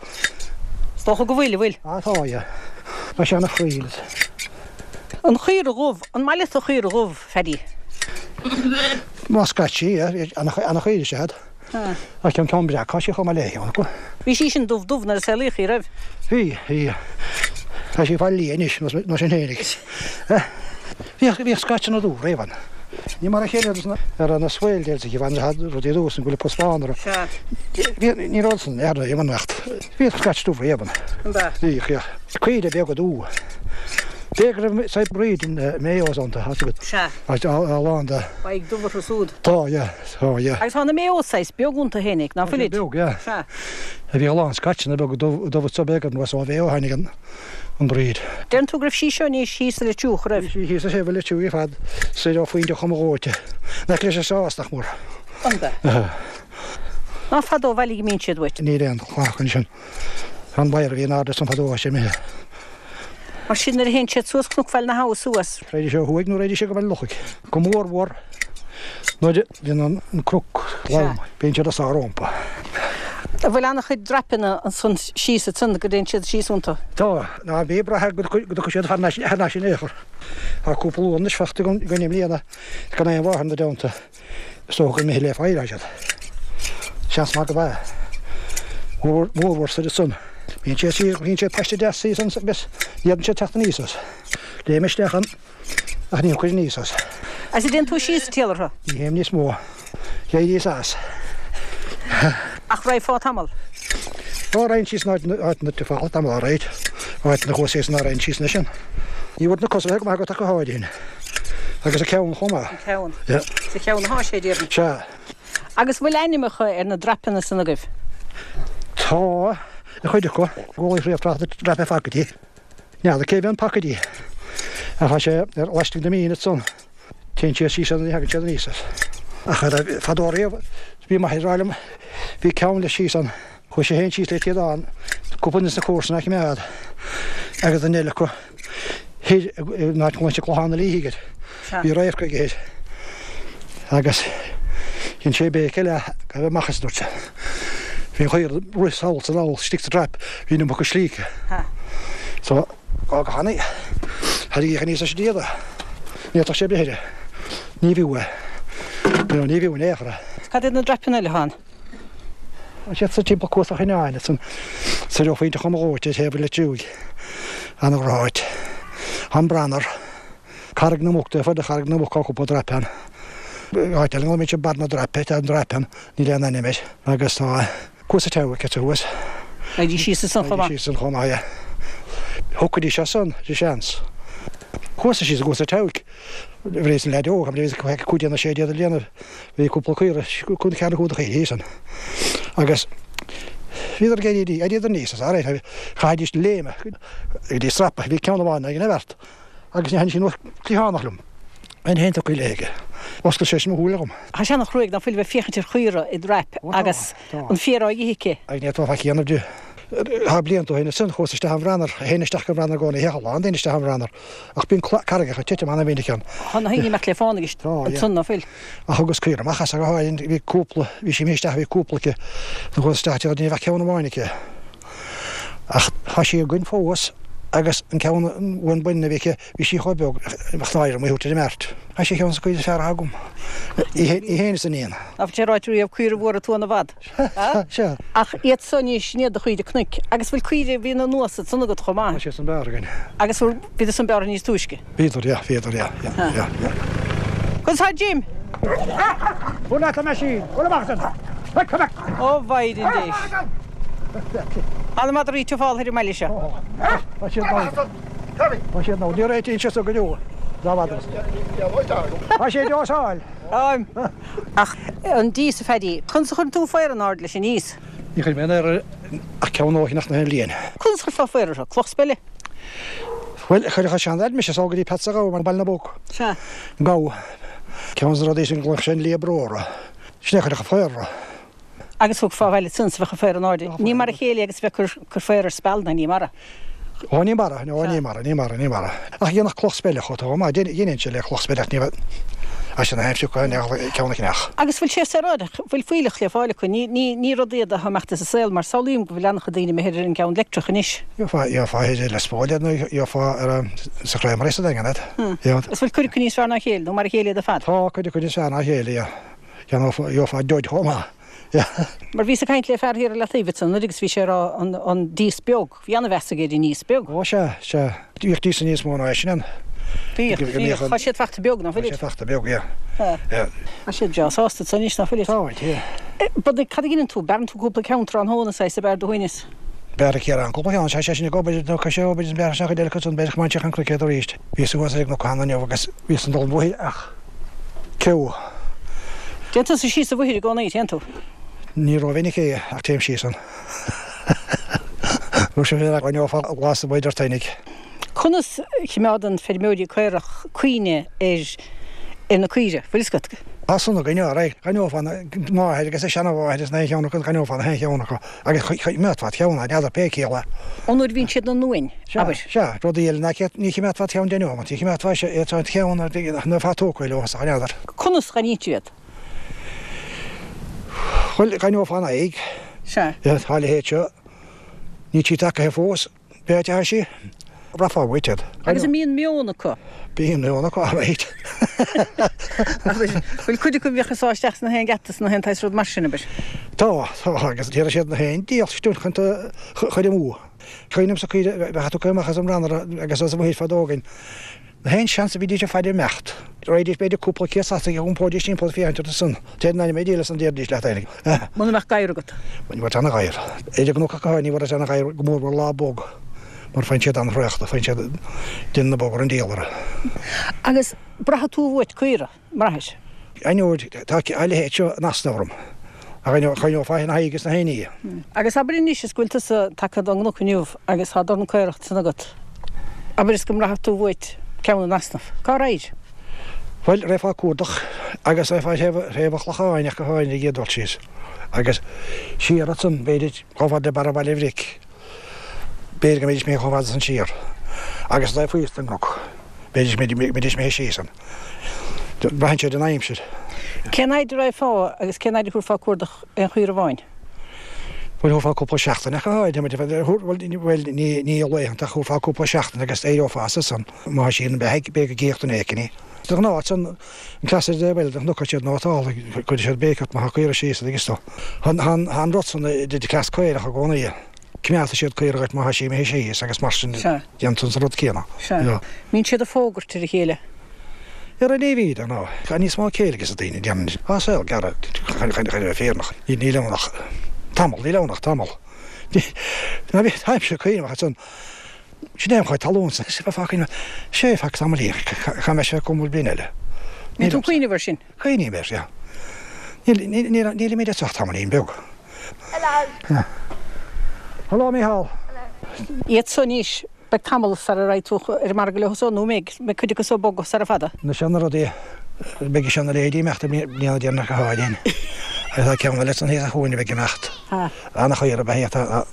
Is dócha go bhfuil, an bhfuil? Ah tá, yeah. Tá sé ana chroíúil. An chaora dhubh, an maith leat an chaora dhubh, Phaddy? Má scaití, yeah. Ana chaora is ea iad. Ach an ceann breac, tá sé chomh maith léi ann acu. Bhí sí sin dubh dubh nuair a saolaíodh í, raibh? Bhí, bhí. Tá sí ag fáil liath anois, nó sin fhéinig. Bhíodh, bhíodh scaitseanna dubh riamh ann. Ní mar a chéile ar na Swaledales a bhain rudaí dubh san go bhfuil pus bán orthu. Sea. Bhí, ní raibh san ar riamh ann ach bhíodh scait dubh riamh ann. An ea? Bhíodh, yeah. Caoire beaga dubha. B'fhéidir go raibh said breed Mayos iontu, tá a fhios agat. Sea. A lán de. Aghaidh dubh orthu súd. Tá, yeah. Tá, yeah. Agus tá na Mayos saghas beag iontu fhéinig, ná fuilid? Beag, yeah. Sea. Bhí a lán scaitseanna beaga dubha anso b'fhéidir nó is ó Mhayo a tháinig an breed. Deireann tú go raibh sí seo anois thíos sa Leitriúch, raibh? Bhí sí thíos sa Leitriúch ar fad, soir ó Phointe Choma Dhóite. In aice leis an Sás, nach mór. An ea? Aha. Ná fada ó bhaile go mbíonn siad uait? Níl aon chlann acu ansin. An badhar a bhí in airde ansan fadó, tá sé imithe. Mar sin nuair a théann siad suas Cnoc Bhaile na hAbha suas. Raghaidís ó thuaidh nó raghaidís go Baile Lochaigh. Go mór mhór nuair a bhíonn an cnoc lom, bíonn siad ag sá rómpa. An bhfuil an-chuid draipeanna ansan síos ansan go dtéann siad síos iontu? Tá. Ná bí ag brath go dtiocfaidh siad thar n-ais in aon chor. Tá cúpla uan anois fachta againn i mbliana gan aon mháthair ina dteannta. Is dócha gur imithe le faill atá siad. Seans maith gurb ea. Mórmhór soir ansan. Bíonn siad siar, bíonn siad paiste deas thíos ansan agus ní fhéadann siad teacht aníos as. Léim isteach ann ach ní thiocfaidh aníos as. Agus an dtéann tú síos sa triall orthu? Ní théim níos mó. D'éiríos as. Ach raghfá tamall? Ó, raghainn síos in áit na falla tamall alright. Áit na chuas síos ná raghainn síos anois ann. Ní bhfuair na cosa bheith go maith agat ach go háirithe. Agus a ceann chomh maith. An ceann. Yeah. Sa cheann athá sé, déarfainn. Sea. Agus bhfuil ainmneacha ar na draipeanna san agaibh? Tá, ar chuid acu. Gabháil riamh tráth na draipe phacaidí. N'fheadar cé bhí an pacaidí. Ach tá sé ar laistigh de mín ansan. Téann siad síos ann ní thagann siad aníos as. Ach fadó riamh bhí m'athair ag rá liom bhí ceann leis síos ann. Chuaigh sé féin síos le téadán, cúpla duine sna comharsana á choimeád agus duine eile acu thoir in áit a nglaonn siad Clochán na Líthe air. Bhí radharc aige thoir. Agus dhein sé béic eile gabh amach as, a dúirt sé. Bhí an chaora ag rith sall is anall istigh sa trap, bhí an iomarca slí aici. So. Go hana. Tharraing aníos leis an diabhal é. Ní fhéadfadh sé breith air. Ní bhfiú é. No, ní bhfiú in aon chor é. Cad iad na draipeanna eile atá ann? Tá siad sa timpeall Cuas an Choinneáin, ansan soir ó Phointe Choma Dhóite ar thaobh an Leitriúigh. Ana-dhroch-áit. An Branar. Carraig na Muc, taobh thoir de Charraig na Muc tá cúpla draip ann. Áit eile a nglaoimid Barr na Draipe, tá an draip ann, níl aon ainm air. Agus tá. Cuas an tSeabhaic anso thuas. Raghaidís síos ansan chomh maith. Raghaidís síos ansan chomh maith, yeah. Thiocfaidís as san, de sheans. Chuas-sa síos i gCuas an tSeabhaic. Bhíos ina leaid óg, bhíos 15 nó 16 de bhlianaibh. Bhí cúpla caora, cúig nó ceathair nó cúig de chaoirigh thíos ann. Agus bhíodar ag éirí, éiríodar aníos as, alright, chaithfidís léim go dtí strapa. Bhí ceann amháin ag an bhfeart. Agus ní thaitnigh sí anuas cliathánach liom. Bheinn féin tugtha léi aige. Oscail sé sin mo shúile dhom. Tá sé ana-chruaidh ná fuil a bheith féachaint ar chaora i dtraip agus an féar á ithe aici. Agus ní fhéadfá faic a dhéanamh di. Tá blianta ó shin ansin, chuas isteach an Bhranar, théinn isteach go Branar i gcónaí, théadh a lán daoine isteach an Bhranar, ach bíonn carraigeacha ag titim ana-mhinic ann. Tá na haon imeacht le fána ansan ná fuil. Ach thugas caora amach as go háirithe, bhí cúpla, bhí sí imithe isteach, bhí cúpla aici, chuas isteach, ní bheadh ceann amháin aici. Ach tá sí againn fós agus an ceann an uan baineann a bhí aici, bhí sí chomh beag, bheadh náire orm í a thabhairt ar an mbeart. Tá sí ar cheann de na caoirigh is fearr atá agam. Í féin is a iníon. Ná fuil sé ráite riamh caora mhór ag tuan i bhfad? Sea. Ach iad so anois, sin iad do chaoirigh cnoic. Agus bhfuil caoirigh a bhíonn anuas ansan agat chomh maith? Tá siad san bearrtha againn. Agus bhíodar san bearrtha níos túisce? Bhíodar, yeah, bhíodar, yeah, yeah, yeah, yeah. Conas tá Jim? Buail leat, a meaisín! Buail amach as ann! Quick, come back! Ó Mhaighdean Dé! Tá na madraí ag fáil thoir an mbaile seo. Tá siad ann. Tá siad ann. Ní réitíonn siad so go deo dá mhadra. Tá sé deosáil. Táim. Ach an dias, a Phaddy, conas a chuireann tú faora in airde leis an ndias? Ní chuir mé aon fhéar ach ceann ó shin ach na haon bhliain. Conas a chuirfeá faora orthu? Cloch speile? Bhuel, chuirfeadh seandaid mise sall go dtí Peatsa Ghabha mar Baile na bPóc. Sea. Gabha. Ceann de na rudaí sin glaodh sé an Liath Bró orthu. Sin é a chuirfeadh an féar orthu. Agus thiocfá abhaile ansan is bheadh an féar in airde. Ní mar a chéile agus a bheith ag cur féar ar spealanna, ní mar a. Ó, ní mar a, ó, ní mar a, ní mar a, ní mar a. Ach dhéanfadh cloch speile chomh togha maith. Dheineann sé le cloch speile ach ní bheadh, as sin a haimsiú acu, ceann a chneach. Agus bhfuil sé saoráideach, bhfuil fuílleach le fáil acu? Ní, ní, ní rud iad atá imeachta as an saol mar samhlaím go bhfuil an-chuid daoine imithe ar an gceann leictreach anois. Gheofá, gheofá i Lios Póil iad nó gheofá ar an, sa Chreamery sa Daingean iad. Is bhfuil cuid acu níos fearr ná a chéile nó mar a chéile iad ar fad? Tá cuid acu níos fearr ná a chéile, yeah. Gheofá, gheofá Judd chomh maith. Mar bhíos ag caint le fear thiar i Leataobh ansan agus bhí sé ag rá an, an dias beag. Bhí an-mheas aige ar an ndias beag. Ó sea, sea. Bhíodh diasa níos mó ná é sin ann. Bhíodh, bhíodh. Tá siad fachta beag, ná fuilid? Tá siad fachta beag, yeah. Yeah. Tá siad breá sásta ansan anois, ná fuilid? Táid, yeah. But cad a dheineann tú? Bearrann tú cúpla ceann tráthnóna, saghas, ab fhearr do shuaimhneas? Bearradh Ciarán cúpla ceann, sea, sé sin ag obair, nó sé obair is bearradh sé an chuid eile acu san, b'fhéidir go mbainfeadh an cruicéad arís. Bhíos thuas ar an gcnoc cheana inniu agus bhíos ag dul an bhóthair ach ceo. Téann tusa síos an bhóthair i gcónaí, téann tú? Ní rómhinic é ach téim síos ann. Bhí sé ar aithneofá glas amuigh idir toinnigh. Conas a chimeádann feirmeoirí caorach cuimhne ar ar na caoire, bhfuil fhios agat? Tá san againn, alright. D'aithneofá na máthair agus a seanamháthair is na haon cheann acu, d'aithneofá na haon cheann acu agus choimeádfá ceann, n'fheadar pé ciall é. Ón uair a bhíonn siad ina n-uain, abair. Sea, rudaí eile ná ní chimeádfá ceann deich neomat, ní chimeádfá ceann ná bheifeá tógtha leo, n'fheadar. Conas a aithnítear iad? Bhuel, d'aithneofá an aghaidh. Sea. Tá a leithéid seo. Níl sí tagaithe fós. Pé áit atá sí, rachaidh uait iad. Agus an mbíonn meon acu? Bíonn meon acu, alright. Abair, bhfuil cuid acu a bhíodh ag sá isteach sna haon gheata, sna haon tsaghas rud mar sin, abair? Tá, tá, agus déarfaidh siad na haon diabhal stiúir chun tú a chur amú. Cuimhním-sa caoire a bheadh tugtha amach as an mbranar agus as an mhuir fadó againn. Na haon seans a bhídís ag faire imeacht. Raghaidís b'fhéidir cúpla céad slat ag iompóidís timpeall ag féachaint orthu san. Téid in ainm Dé leis an déarfaidís leat féinig. Muna mbeadh gadhar agat. Ní bheadh aon ghadhar. Ar an gcnoc acu ní bheadh aon ghadhar go mór mhór lá bog mar faigheann siad an-thraochta, faigheann siad déanann na bog ar an diabhal orthu. Agus braithfidh tú uait caora? mbraithfidh. Aithneoidh, tá a leithéid seo in easnamh orm. Ach aithneofá ina haghaidh agus na haon ní. Agus abair anois is go bhfuil tusa tagtha don gcnoc inniu agus tá dorn caorach ansan agat. Abair is go mbraithfeadh tú uait ceann in easnamh. Cá raghair? Bhuel, raghfá ag cuardach agus raghfá ar thaobh an Chlocháin ach go háirithe ag iarraidh dul síos. Agus siar ansan, b'fhéidir, chomh fada le barra Bhaile Bhric. B'fhéidir go mbeidís imithe chomh fada san siar. Agus an taobh thuas den gcnoc, b'fhéidir go mbeidís imithe síos ann. Braitheann sé ar an aimsir. Cén fhaid a raghfá agus cén fhaid a thabharfá cuardach aon chaora amháin? Bhuel, thabharfá cúpla seachtain ach go háirithe. Bhuel, ní i laethanta ach thabharfá cúpla seachtain agus éireofá as ansan. Má tá sí ina beathaidh, b'fhéidir go gcífeadh duine éicin í. De ghnáth ansan, an cleas ar dtaobh eile den chnoc siad nótálta, cuirfidh siad béic ort má tá caora síos agus tú. Tá an rud san de chleas caorach i gcónaí. Coimeádfaidh siad caora dhuit má tá sí imithe síos agus mar sin déanann tú an rud céanna. Sea. Mbíonn siad ag fógairt ar a chéile. Ar an ní de ná tá níos mó céille ages na daoine déanann tá saol gearr chun a bheith fírinneach. Níl ann ach tamall, níl ann ach tamall. Ná bhí táimse cuimhneach ansan sin é an chuid talún san is bheifeá cuimhneach sé feadh tamaillín cha mbeidh sé agam bliain eile. Mbíonn tú ag cuimhneamh air sin? Cuimhním air, yeah. Níl, níl, nílimid ag teacht tamaillín beag. Hello. Hello, Mícheál. Hello. Iad so anois, beidh tamall sara raghaidh tú ar an margadh leo so, nó an mbeidh, mbeidh cuid acu so ag bogadh sara fada? Na seana rudaí, beidh seana leithéidí imeacht i mbliana deireanach go háirithe. Agus tá ceann eile san thíos a chuaigh a bheidh imeacht. Ana-chaora ab ea í, tá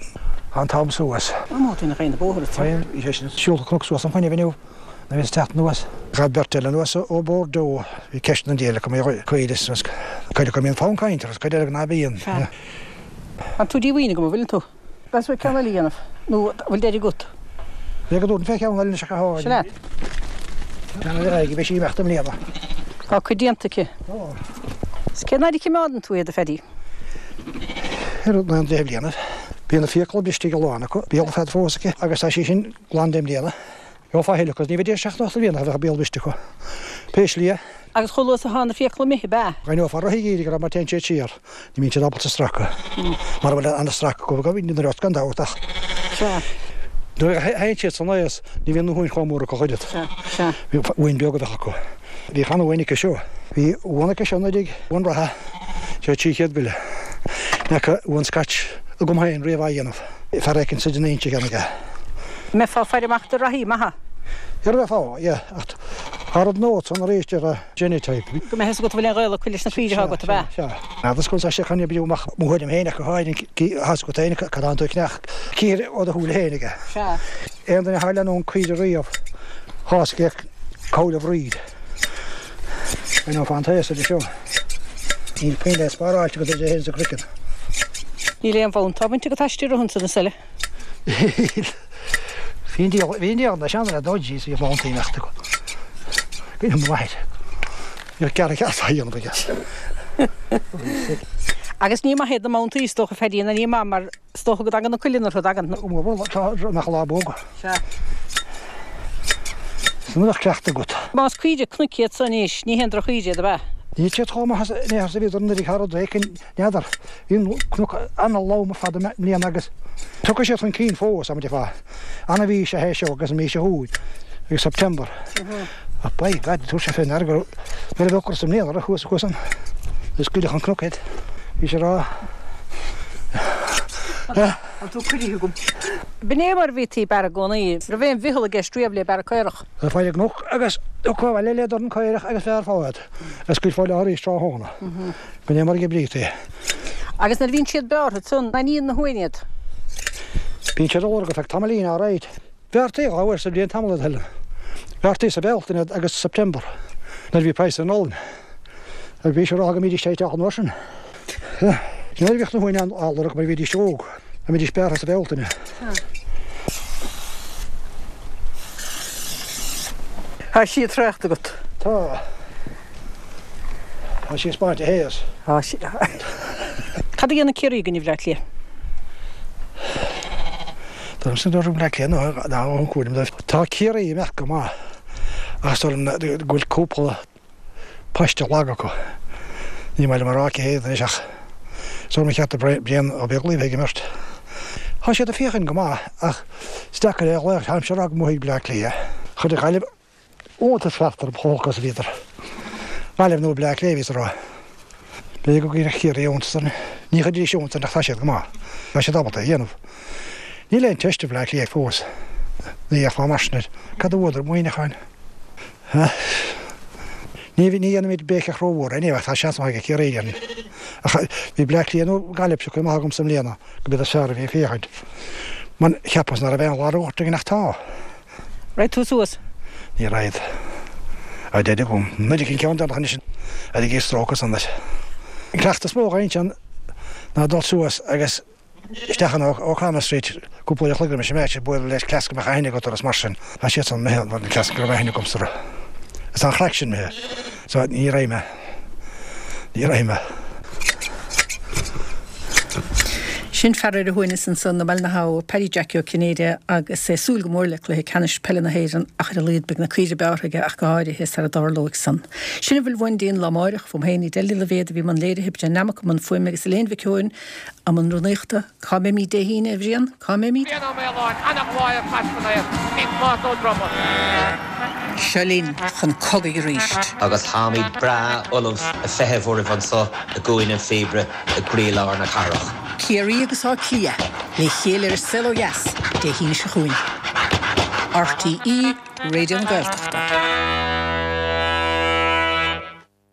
an t-am suas. Tá móta ina chaon bóthar, tá. Bhí sé sin siúlta cnoc suas an fuinneamh inniu. Nuair a bhíos ag teacht anuas. Ghabh beirt eile anuas ó Bordeaux. Bhí ceist an diabhail acu mar cuid is cuid acu a mbíonn fonn cainte orthu is cuid eile ná bíonn. Sea. Tá tú díomhaoin agam, an bhfuileann tú? Meas tú ceann eile a dhéanamh, nó an bhfuil deireadh agat? Bheadh go dtabharfainn fé cheann eile anois ach a Sin leat. Ceann eile a bheidh sí imeacht i mbliana. Tá cuid déanta aici. Tá. Is cén fhaid a chimeádann tú iad, a Phaddy? Ar na deich mbliana. Bíonn na fiacla briste ag a lán acu, béal fada fós aici agus tá sí sin glan deich mbliana. Gheofá a thuilleadh acu, ní bheidís 78 bliain ach bheadh a béal briste acu. Pé slí é. Agus chomh luath is atá na fiacla imithe, ab ea? D'aithneofá rith ag iarraidh go raibh mar téann siad siar. Ní bhíonn siad ábalta stracadh. Mara bhfuil an-stracadh acu, go bhíonn an gan dabht ach. Sea. Nuair a théann siad san aos, ní bhíonn na huain chomh mór acu ach oiread. Sea, sea. Bhí uain beag a bheadh acu. Bhí chan uain aici seo. Bhí uan aici seo nuair uan reatha, sé 300 go leith. Ní fhaca uan Scotch agam féin riamh á dhéanamh. Fear éicint sa den Inse a cheannaigh é. Mbeifeá ag faire amach do reathaí maithe. Ar a bheifeá, yeah, ach tá rud notes ann arís ar a genotype. Go mbeidh a fhios agat an bhfuil aon ghaol acu leis na caoirigh atá agat, ab ea? Sea, sea. Agus go sé chun oibriú amach mo thuairim féin ach go háirithe, tá a fhios agat féin cad atánn tú ag ceannach, cíor ó do shúile féin aige. Sea. Aon duine atá ag leanúint caoire riamh, tá a fhios aige cá bhfuil a bhreed. I know fán taos ar seo. Níl puinn le spáráilte agat idir é féin is an craiceann. Níl aon bhabhta á bhaint agat aisti i rith an tsonas eile. Bhí an diabhal, bhí an diabhal na seanduine dodgy is bhí babhtaí imeacht acu. Bhí an mhaith. Bhí cearr ceart á dhéanamh aige. Agus ní maith iad na mbabhtaí is dócha Phaddy ná ní maith mar is dócha go dtagann na cuileann orthu, dtagann? Bhuel, tá nach lá bog. Sea. Is an bhfuil cleachtadh agat? Más caoirigh cnoic iad so anois, ní haon droch-chaoirigh iad, ab ea? Níl siad chomh maith is in aon chor is a bhíodar anuraidh thar rud éicint. N'fheadar. Bhí an cnoc an-lom ar fad i mbliana agus tiocfaidh siad chun cinn fós, am deifá. Ana mhí is ea é seo agus an mhí seo chugainn, agus September. Ach by God, tabhair sé fé ndeara go raibh nuair a bheadh ocras i mbliana orthu thuas thuas ann, is scaoilfeadh an cnoc iad. Bhí sé rá. Tá tú cuirithe agam. B'in é mar a bhítí ag bearradh i gcónaí. Raibh aon mhiotal i gceist riamh le bearradh caorach. Bheifeá ar an gcnoc agus thiocfá abhaile le dorn caorach agus bheith ar fad. Agus scaoilfeá leo arís tráthnóna. B'in é mar a dh'oibrítí. Agus nuair a bhíonn siad bearrtha ansan, an níonn na huain iad? Bíonn siad á lorg ar feadh tamaillín, alright. Bhearrtaí dhá uair sa bhliain tamall iad, Helen. Bhearrtaí sa Bhealtaine iad agus September, nuair a bhí praghas ar an olann. Agus bhí sé rá go mbídís ag teacht an uair sin. Nuair a bhíodh na huain á lorg mar bhídís óg, a mbídís bearrtha sa Bhealtaine. Tá sí ag trácht agat. Tá. Tá sí ag spáint a théas. Tá sí. Cad a dhéanann Ciarraí i gcoinne Bhleá Cliath? Tá sin dóigh Bhleá Cliath nó ná an cúram dóibh. Tá Ciarraí imeacht go maith ach is dóigh liom go bhfuil cúpla paiste lag acu. Ní maith liom a rá cé hiad anois ach is dóigh liom cheart do Brian Ó Beaglaoich bheith ag imirt. Tá siad ag féachaint go maith ach is deacair é a ghlaoch táimse a rá go mbuafaidh Bleá Cliath. Chuir Gaillimh iontas ceart orm chomh holc is a bhíodar. Gaillimh nó Bleá Cliath a bhíos a rá. B'fhéidir go gcuirfeadh Ciarraí iontas orainn. Ní chuirfidís iontas orainn ach tá siad go maith. Tá siad ábalta é a dhéanamh. Níl aon teist ar Bhleá Cliath fós. Ní dhéarfá mar sin air. Cad a bhuadar? Muineachán? Ní ní dhéanfaimid béiceach rómhór anyway ach tá seans maith ag Ciarraí déarfainn. Ach bhí Bleá Cliath nó Gaillimh pioctha amach agamsa i mbliana go mb'iad is fearr a bhí ag féachaint. Man, cheapas nach raibh aon lagairt againn ach tá. Raghaidh tú suas? Ní raghad. A deir agam. Nuair a an ceann deireanach anois ar ag stróiceadh san leis. An cleachtadh is mó a dh'insean ná dul suas agus isteach in O'Connell Street cúpla uair a chloig roimis an match ag bualadh le cleas go mbeadh aithne agat orthu is mar sin. Tá siad san imithe an cleas go raibh aithne agamsa orthu. Is an chraic sin imithe. So ní raghaidh mé. Ní raghaidh mé. Sin fear ar a shuaimhneas ansan i mBaile na hAbha, Paddy Jackie Ó Cinnéide agus é ag súil go mór le cluiche ceannais peile na hÉireann ach ar a laghad beidh na caoirigh bearrtha aige ach go háirithe sara dtarlóidh san. Sin a bhfuil uainn dtí'n lá amáireach, fúm féin Edel Ní Loibhéad a bhí i mbun léirithe, Brian Nammock i mbun fuaime agus Elaine Mhic Eoin i mbun rúnaíochta. Cá mbeimid Dé hAoine, a Bhriain? Cá mbeimid? Brian Ó Maoláin, ana-ghlór ar Chas san Aer, bhí Tomás Ó Droma. Seo linn chun cogaidh arís. Agus táimid breá ullamh a feitheamh oraibh anso i gCúinne an Phíobaire i gcroílár na cathrach. Ciarraí agus Áth Cliath le chéile ar An Saol Ó Dheas Dé hAoine seo chugainn. RTÉ Raidió na Gaeltachta.